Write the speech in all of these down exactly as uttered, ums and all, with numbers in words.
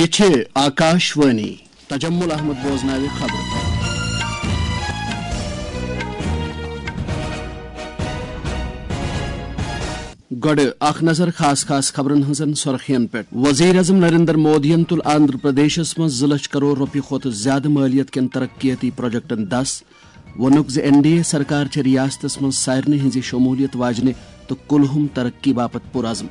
یہِ چھِ آکاش وانی۔ تجمل احمد بوزناوِ خبرٕ۔ گۄڈٕ اکھ نظر خاص خاص خبرن ہٕنٛزن سرخین پٮ۪ٹھ۔ وزیر اعظم نریندر مودیَن تُل آندھرا پردیشس منٛز زٕ لچھ کرور رۄپیہِ کھۄتہٕ زیادٕ مٲلیت کٮ۪ن ترقیتی پروجیکٹن دس۔ ووٚنُکھ زِ این ڈی اے سرکار چھےٚ ریاستس منٛز سارنٕے ہٕنٛزِ شمولیت واجنہِ تہٕ کُلہُم ترقی باپتھ پُرعزم۔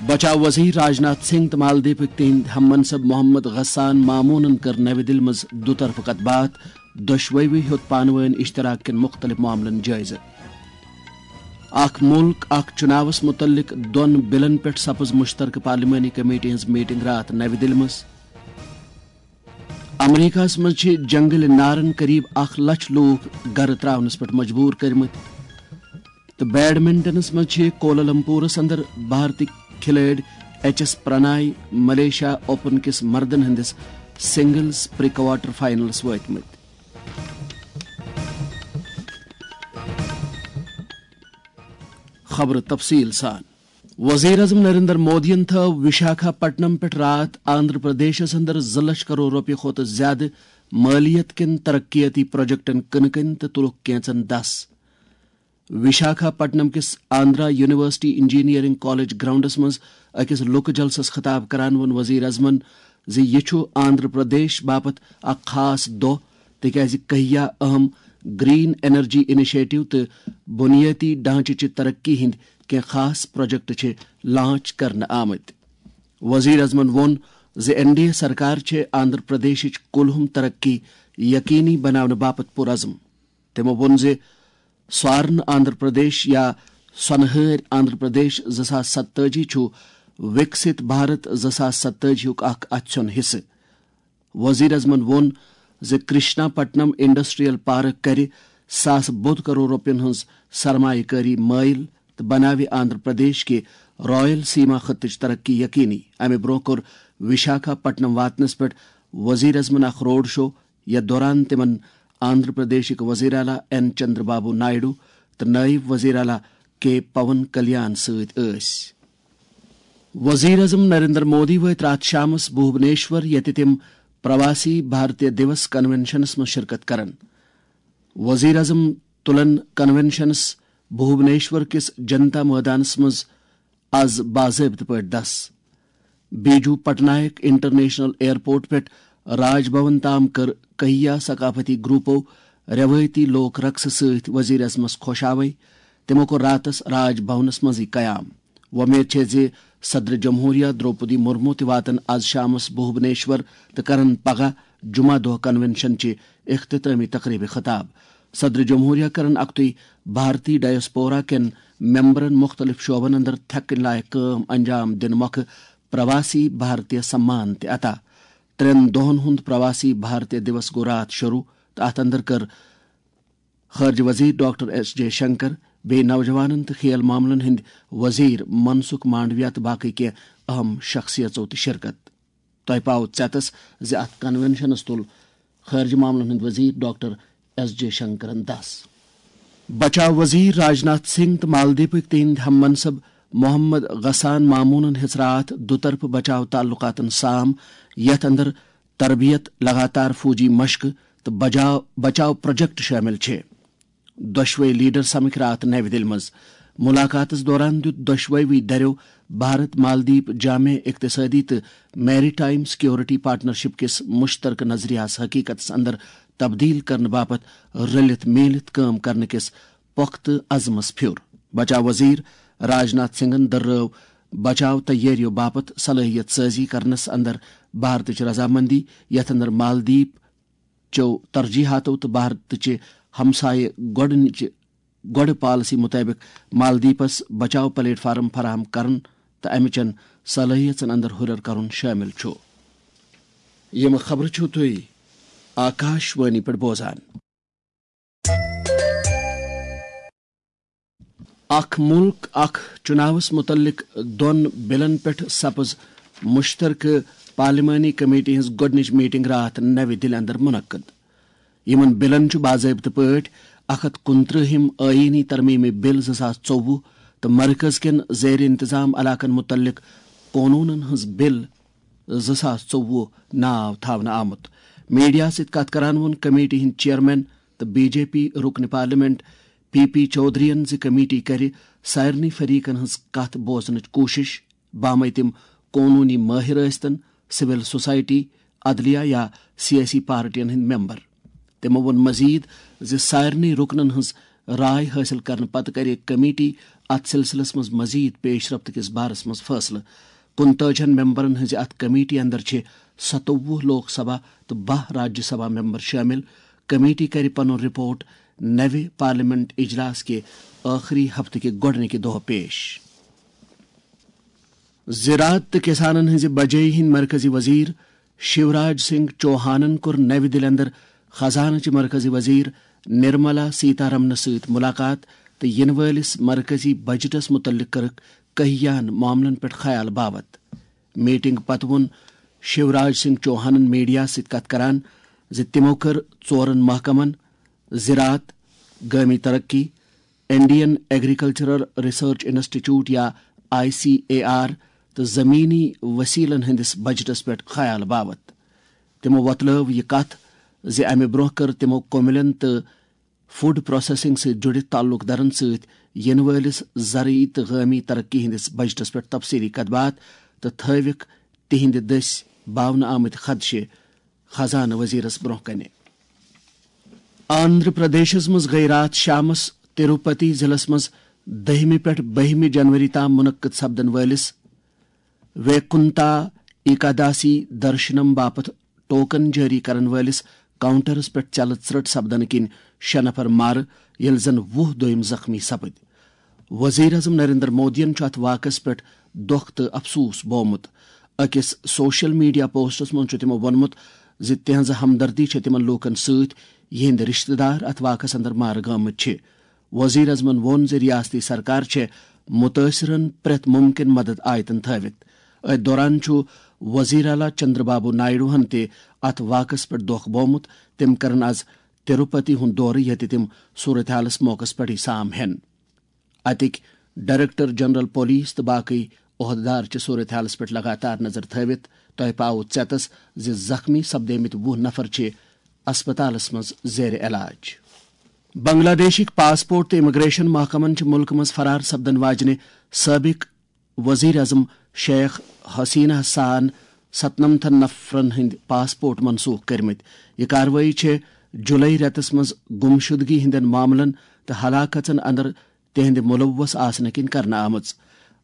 بچاو وزیر راجناتھ سنگھ تہٕ مالدیپٕکۍ تِہنٛدۍ ہم منصب محمد غسان مامونن کٔر نوِ دِلہِ منٛز دُطرفہٕ کتھ باتھ، دۄشوٕے ہیوٚت پانہٕ وٲنۍ اشتراک کٮ۪ن مُختٔلِف معاملن جٲیزٕ۔ اکھ مُلک، اکھ چُناوس مُتعلق دۄن بلن پٮ۪ٹھ سپٕز مُشترکہٕ پارلیمانی کمیٹی ہٕنٛز میٹنگ راتھ نوِ دِلہِ منٛز۔ امریکہس منٛز چھِ جنگلہِ نارن قریب اکھ لچھ لوٗکھ گرٕ تراونس پٮ۪ٹھ مجبوٗر کٔرمٕتۍ۔ تہٕ بیڈمنٹنس منٛز چھِ کولالمپورس اندر بھارتی کھلٲڑۍ ایچ ایس پرنائی ملیشیا اوپن کِس مردن ہٕنٛدِس سنگلز پری کوارٹر فائنلس وٲتمٕتۍ۔ خبرٕ تفصیٖل سان۔ وزیر اعظم نریندر مودیَن تھٲو وشاکھا پٹنم پٮ۪ٹھ راتھ آندھرا پردیشس اندر زٕ لچھ کرور رۄپیہِ کھۄتہٕ زیادٕ مٲلیت کٮ۪ن ترقیتی پروجیکٹن کٕنہٕ کٔنۍ تہٕ تُلُکھ کینژن دس۔ وشاکھا پٹنم کِس Andhra university engineering college grounds منٛز أکِس لُکہٕ جلسس خطاب کران ووٚن وزیر اعظمن زِ یہِ چھُ آندھرا پردیش باپتھ اکھ خاص دۄہ، تِکیازِ کہیا اہم گرین انرجی انیشیٹو تہٕ بنیٲدی ڈھانچہٕ چہِ ترقی ہٕنٛدۍ کینٛہہ خاص پروجیکٹ چھِ لانچ کرنہٕ آمٕتۍ۔ وزیر اعظمن ووٚن زِ این ڈی اے سرکار چھےٚ آندھرا پردیشٕچ کُلہُم ترقی یقینی بناونہٕ باپتھ پُرعزم۔ تِمو ووٚن زِ سوارن آندھرا پردیش یا سۄنہٕ ہٲرۍ آندھرا پردیش زٕ ساس ستٲجی چھُ وِکسِت بھارت زٕ ساس ستٲجی ہُک اکھ اَژھیوٚن حصہٕ۔ وزیر اعظمن ووٚن زِ کرشنا پٹنم انڈسٹریل پارک کرِ ساس بوٚد کرور رۄپین ہٕنٛز سرمایہ کٲری مٲیل تہٕ بناوِ آندھرا پردیش کہِ رائل سیما خطٕچ ترقی یقینی۔ امہِ برونٛہہ کوٚر وشاکھا پٹنم واتنس پٮ۪ٹھ وزیر اعظمن اکھ روڈ شو، یتھ دوران تِمن آندھرا پردیشٕکۍ وزیر اعلیٰ این چندر بابو نائیڈو تہٕ نائب وزیر اعلیٰ کے پون کلیان سۭتۍ ٲسۍ۔ وزیر اعظم نریندر مودی وٲتۍ راتھ شامس بھوبنیشور، ییٚتہِ تِم پرواسی بھارتیہ دیوس کنونشنس منٛز شرکت کرن۔ وزیر اعظم تُلن کنونشنس بھوبنیشور کِس جنتا مٲدانس منٛز از باضٲبطہٕ پٲٹھۍ دس۔ بیجو پٹنائک انٹرنیشنل ایئرپورٹ پٮ۪ٹھ راج بھون تام کٔر کہیا ثقافتی گروپو روایتی لوک رقصہٕ سۭتۍ وزیر اعظمس خۄش آوے۔ تِمو کوٚر راتس راج بھونس منٛزٕے قیام۔ وۄمید چھےٚ زِ صدر جمہوریہ درٛوپدی مرمو تہِ واتن از شامس بھوبنیشور تہٕ کرن پگاہ جمعہ دۄہ کنونشن چہِ اختتامی تقریبہِ خطاب۔ صدر جمہوریہ کرن اکتُے بھارتی ڈائسپورا کٮ۪ن ممبرن مُختٔلِف شعبن اندر تھٮ۪کٕنۍ لایق کٲم انجام دِنہٕ مۄکھٕ پرواسی بھارتیہ سمان تہِ عطا۔ ترٛٮ۪ن دۄہن ہُنٛد پرواسی بھارتیہ دیوس گوٚو راتھ شروع تہٕ اتھ اندر کٔر خارجہ وزیر ڈاکٹر ایس جے شنکر، بیٚیہِ نوجوانن تہٕ کھیل معاملن ہٕنٛدۍ وزیر منسکھ مانڈویا تہٕ باقٕے کینٛہہ اہم شخصیژو تہِ شرکت۔ تۄہہِ پاوٕ ژٮ۪تس زِ اتھ کنونشنس تُل خارجہ معاملن ہٕنٛدۍ وزیر ڈاکٹر ایس جے شنکرن دس۔ بچاو وزیر راجناتھ سنگھ تہٕ مالدیپٕکۍ تِہنٛدۍ ہم منصب محمد غسان مامونن ہیٚژ راتھ دُطرفہٕ بچاو تعلقاتن سام، یتھ اندر تربیت، لگاتار فوجی مشقہٕ تہٕ بجاو بچاو پروجیکٹ شٲمِل چھِ۔ دۄشوے لیڈر سمکھۍ راتھ نوِ دِلہِ منٛز۔ ملاقاتس دوران دیُت دۄشوے دریو بھارت مالدیپ جامع اقتصادی تہٕ میری ٹائم سیکورٹی پارٹنرشپ کِس مشترکہ نظریہس حقیقتس اندر تبدیل کرنہٕ باپتھ رلِتھ میٖلِتھ کٲم کرنہٕ کِس پۄختہٕ عزمس پھیُر۔ بچاو وزیر راجناتھ سنگھن دٔررٲو بچاو تیٲرِیو باپتھ صلٲحیت سٲزی کرنس اندر بھارتٕچ رضامندی، یتھ اندر مالدیپ چو ترجیحاتو تہٕ بھارتٕچہِ ہمسایہِ گۄڈٕنِچہِ گۄڈٕ پالیسی مُطٲبِق مالدیپس بچاو پلیٹ فارم فراہم کرُن تہٕ امہِ چٮ۪ن صلٲحیژن اندر ہُرٮ۪ر کرُن شٲمِل چھُ۔ یِم خبرٕ چھِو تُہۍ آکاش وانی پٮ۪ٹھ بوزان۔ اکھ مُلک، اکھ چُناوس مُتعلق دۄن بلن پٮ۪ٹھ سپٕز مُشترکہٕ پارلیمانی کمیٹی ہٕنٛز گۄڈٕنِچ میٹنگ راتھ نوِ دِلہِ اندر منعقد۔ یِمن بلن چھُ باضٲبطہٕ پٲٹھۍ اکھ ہتھ کُنترٕہِم آئینی ترمیمی بل زٕ ساس ژوٚوُہ تہٕ مرکز کٮ۪ن زیر انتظام علاقن مُتعلق قونوٗنن ہٕنٛز بل زٕ ساس ژوٚوُہ ناو تھاونہٕ آمُت۔ میڈیا سۭتۍ کتھ کران ووٚن کمیٹی ہٕنٛدۍ چیئرمین تہٕ بی جے پی رکن پارلیمنٹ پی پی چودھرین زِ کمیٹی کرِ سارنٕے فریقن ہٕنٛز کتھ بوزنٕچ کوٗشش، بامے تِم قونوٗنی مٲہر ٲسۍتن، سول سوسائٹی، عدلیہ یا سیٲسی پارٹین ہٕنٛدۍ ممبر۔ تِمو ووٚن مزید زِ سارنٕے رُکنن ہٕنٛز راے حٲصِل کرنہٕ پتہٕ کرِ کمیٹی اتھ سلسلس منٛز مزید پیش رفت کِس بارس منٛز فٲصلہٕ۔ کُنتٲجِہن ممبرن ہٕنٛزِ اتھ کمیٹی اندر چھِ ستووُہ لوک سبھا تہٕ باہ راجیہ سبھا ممبر شٲمِل۔ کمیٹی کرِ پنُن رپورٹ نوِ پارلیمنٹ اجلاس کہِ ٲخری ہفتہٕ کہِ گۄڈٕنِکہِ دۄہ پیش۔ زراعت تہٕ کسانن ہٕنٛزِ بجٲیی ہٕنٛدۍ مرکزی وزیر شیوراج سنگھ چوہانن کوٚر نوِ دِلہِ اندر خزانہٕ چہِ مرکزی وزیر نرملا سیتارمنس سۭتۍ ملاقات تہٕ یِنہٕ وٲلِس مرکزی بجٹس مُتعلق کٔرٕکھ کٔہیان معاملن پٮ۪ٹھ خیال باوت۔ میٹنگ پتہٕ ووٚن شیوراج سنگھ چوہانن میڈیا سۭتۍ کتھ کران زِ تِمو کٔر ژورن محکمن، زراعت، گٲمی ترقی، انڈین ایگریکلچرل ریسرچ انسٹیٹیوٹ یا آئی سی اے آر تہٕ زمینی وسیلن ہٕنٛدِس بجٹس پٮ۪ٹھ خیال باوت۔ تِمو وۄتلٲو یہِ کتھ زِ امہِ برونٛہہ کٔر تِمو کوملین تہٕ فوڈ پروسیسنگ سۭتۍ جُڑِتھ تعلق دارن سۭتۍ یِنہٕ وٲلِس زرعی تہٕ گٲمی ترقی ہٕنٛدِس بجٹس پٮ۪ٹھ تفصیلی کتھ باتھ تہٕ تھٲوِکھ تِہنٛدِ دٔسۍ باونہٕ آمٕتۍ خدشہِ خزانہٕ وزیرس برونٛہہ کنہِ۔ آندھرا پردیشس منٛز گٔیہِ راتھ شامس تروپتی ضلعس منٛز دٔہمہِ پٮ۪ٹھ بٔہمہِ جنوری تام منعقد سپدن وٲلِس ویکنتا ایکاداسی درشنم باپتھ ٹوکن جٲری کرن وٲلِس کاؤنٹرس پٮ۪ٹھ ژیلہٕ ژرٛٹ سپدنہٕ کِنۍ شےٚ نفر مارٕ، ییٚلہِ زن وُہ دوٚیم زخمی سپٕدۍ۔ وزیر اعظم نریندر مودیَن چھُ اتھ واقعس پٮ۪ٹھ دۄکھ تہٕ افسوس بومُت۔ أکِس سوشل میڈیا پوسٹس منٛز چھُ تِمو ووٚنمُت زِ تِہنٛز ہمدردی چھےٚ تِمن لوٗکن سۭتۍ، یِہنٛدۍ رشتہٕ دار اتھ واقعس اندر مارٕ گٲمٕتۍ چھِ۔ وزیر اعظمن ووٚن زِ ریاستی سرکار چھےٚ متٲثرن پرٛٮ۪تھ ممکن مدد آیتن تھٲوِتھ۔ أتھۍ دوران چھُ وزیر اعلیٰ چندر بابو نائیڈوہن تہِ اتھ واقعس پٮ۪ٹھ دۄکھ بومُت۔ تِم کرن از تروپتی ہُنٛد دورٕ، ییٚتہِ تِم صورتحالس موقعس پٮ۪ٹھٕے سام ہٮ۪ن۔ اتِکۍ ڈائریکٹر جنرل پولیس تہٕ باقٕے عہدٕدار چھِ صورتحالس پٮ۪ٹھ لگاتار نظر تھٲوِتھ۔ تۄہہِ پاوٕ ژیتس زِ زخمی سپدیمٕتۍ وُہ نفر چھِ اسپتالس منٛز زیر علاج۔ بنگلہ دیشٕکۍ پاسپورٹ تہٕ امیگریشن محکمن چھِ مُلکہٕ منٛز فرار سپدن واجنہِ سٲبق وزیر اعظم شیخ حسینہ سان ستنمتھن نفرن ہٕنٛدۍ پاسپورٹ منسوخ کٔرمٕتۍ۔ یہِ کاروٲیی چھےٚ جولائی رٮ۪تس منٛز گمشدگی ہٕنٛدٮ۪ن معاملن تہٕ ہلاکژن اندر تِہنٛدِ ملوث آسنہٕ کِنۍ کرنہٕ آمٕژ۔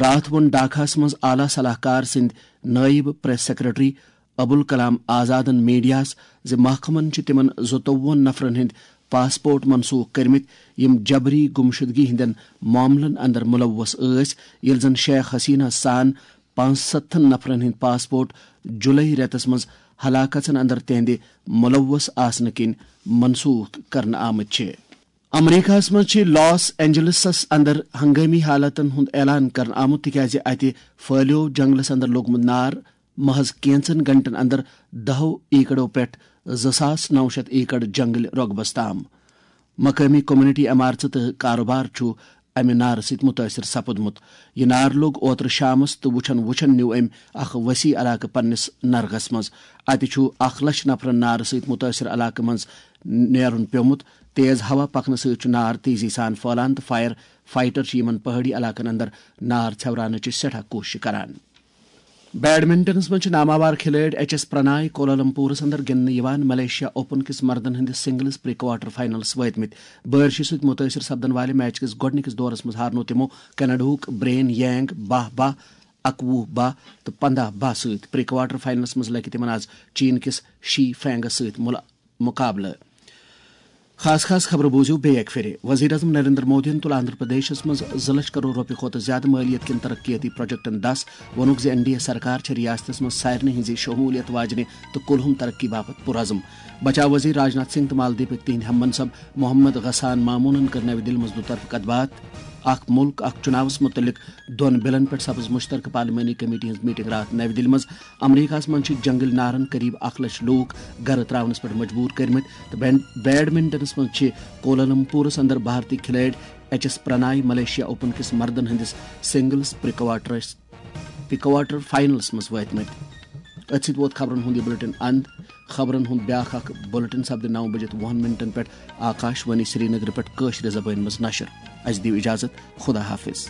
راتھ ووٚن ڈھاکہس منٛز اعلیٰ صلاح کار سٕنٛدۍ نٲیِب پریس سیکرٹری ابوالکلام آزادن میڈیاہس زِ محکمن چھِ تِمن زٕتووُہن نفرن ہٕنٛدۍ پاسپورٹ منسوخ کٔرمٕتۍ، یِم جبری گمشدگی ہٕنٛدٮ۪ن معاملن اندر ملوث ٲسۍ، ییٚلہِ زن شیخ حسینہ سان پانٛژستتھن نفرن ہٕنٛدۍ پاسپورٹ جولائی رٮ۪تس منٛز ہلاکژن اندر تِہنٛدِ ملوث آسنہٕ کِنۍ منسوخ کرنہٕ آمٕتۍ چھِ۔ امریکہس منٛز چھِ لاس اینجلسس اندر ہنگٲمی حالتن ہُنٛد اعلان کرنہٕ آمُت، تِکیازِ اتہِ پھٔہلیو جنگلس اندر لوٚگمُت نار۔ محض کینژن گھنٹن اندر دہو ایکڑو پٮ۪ٹھ زٕ ساس نو شیٚتھ ایکڑ جنگل رۄقبس تام۔ مقٲمی کمیونٹی، عمارژٕ تہٕ کاروبار چھُ امہِ نارٕ سۭتۍ مُتٲثر سپُدمُت۔ یہِ نار لوٚگ اوترٕ شامس تہٕ وُچھن وُچھن نیوٗ أمۍ اکھ وسیع علاقہٕ پننِس نرغس منٛز۔ اتہِ چھُ اکھ لچھ نفرن نارٕ سۭتۍ مُتٲثر علاقہٕ منٛز نیرُن پیومُت۔ تیز ہوا پکنہٕ سۭتۍ چھُ نار تیزی سان پھٔہلان تہٕ فائر فائٹر چھِ یِمن پہٲڑی علاقن اندر نار ژھٮ۪وراونٕچ سٮ۪ٹھاہ کوٗشش کران۔ بیڈمنٹنس منٛز چھِ ناماوار کھلٲڑۍ ایچ ایس پرناے کولالمپورس اندر گِنٛدنہٕ یِوان ملیشیا اوپن کِس مردن ہٕنٛدِس سنگلز پری کوارٹر فائنلس وٲتمٕتۍ۔ بٲرشہِ سۭتۍ مُتٲثر سپدن والہِ میچ کِس گۄڈٕنِکِس دورس منٛز ہارنوو تِمو کینیڈاہُک برین ینگ باہ باہ، اکوُہ باہ تہٕ پنداہ باہ سۭتۍ۔ پری کوارٹر فائنلس منٛز لگہِ تِمن آز چین کِس شی فینگس سۭتۍ مُلا-، مُقابلہٕ۔ خاص خاص خبرٕ بوٗزِو بیٚیہِ اَکہِ پھِرِ۔ وزیر اعظم نریندر مودیَن تُل آندھرا پردیشس منٛز زٕ لچھ کرور رۄپیہِ کھۄتہٕ زیادٕ مٲلیت کٮ۪ن ترقیتی پروجیکٹن دَس۔ ووٚنُکھ زِ این ڈی اے سرکار چھےٚ ریاستس منٛز سارنٕے ہٕنٛزِ شمولیت واجنہِ تہٕ کُلہُم ترقی باپتھ پُرعزم۔ بچاو وزیر راجناتھ سنگھ تہٕ مالدیپٕکۍ تِہنٛدۍ ہم منصب محمد غسان مامونن کٔر نَوِ دِلہِ منٛز دُطرفہٕ کتھ باتھ۔ اکھ مُلک، اکھ چُناوس مُتعلق دۄن بِلن پٮ۪ٹھ سپٕز مُشترکہٕ پارلیمانی کمیٹی ہٕنٛز میٹنگ راتھ نَوِ دِلہِ منٛز۔ امریکہس منٛز چھِ جنگل نارن قریب اکھ لچھ لوٗکھ گرٕ تراونس پٮ۪ٹھ مجبوٗر کٔرمٕتۍ تہٕ بین-، بیڈمنٹنس منٛز چھِ کولالمپورس اندر بھارتی کھلٲڑۍ ایچ ایس پرنائی ملیشیا اوپن کِس مردن ہٕنٛدِس سنگلز پری کوارٹرس تہٕ کوارٹر فاینلس منٛز وٲتمٕتۍ۔ أتھۍ سۭتۍ ووت خبرن ہُنٛد یہِ بُلٹن اند۔ خبرن ہُنٛد بیٛاکھ اکھ بُلٹن سپدِ نَو بجِتھ وُہن منٹن پٮ۪ٹھ آکاش وانی سرینگرٕ پٮ۪ٹھ کٲشرِ زبٲنۍ منٛز نشر۔ اسہِ دِیِو اجازت، خدا حافظ۔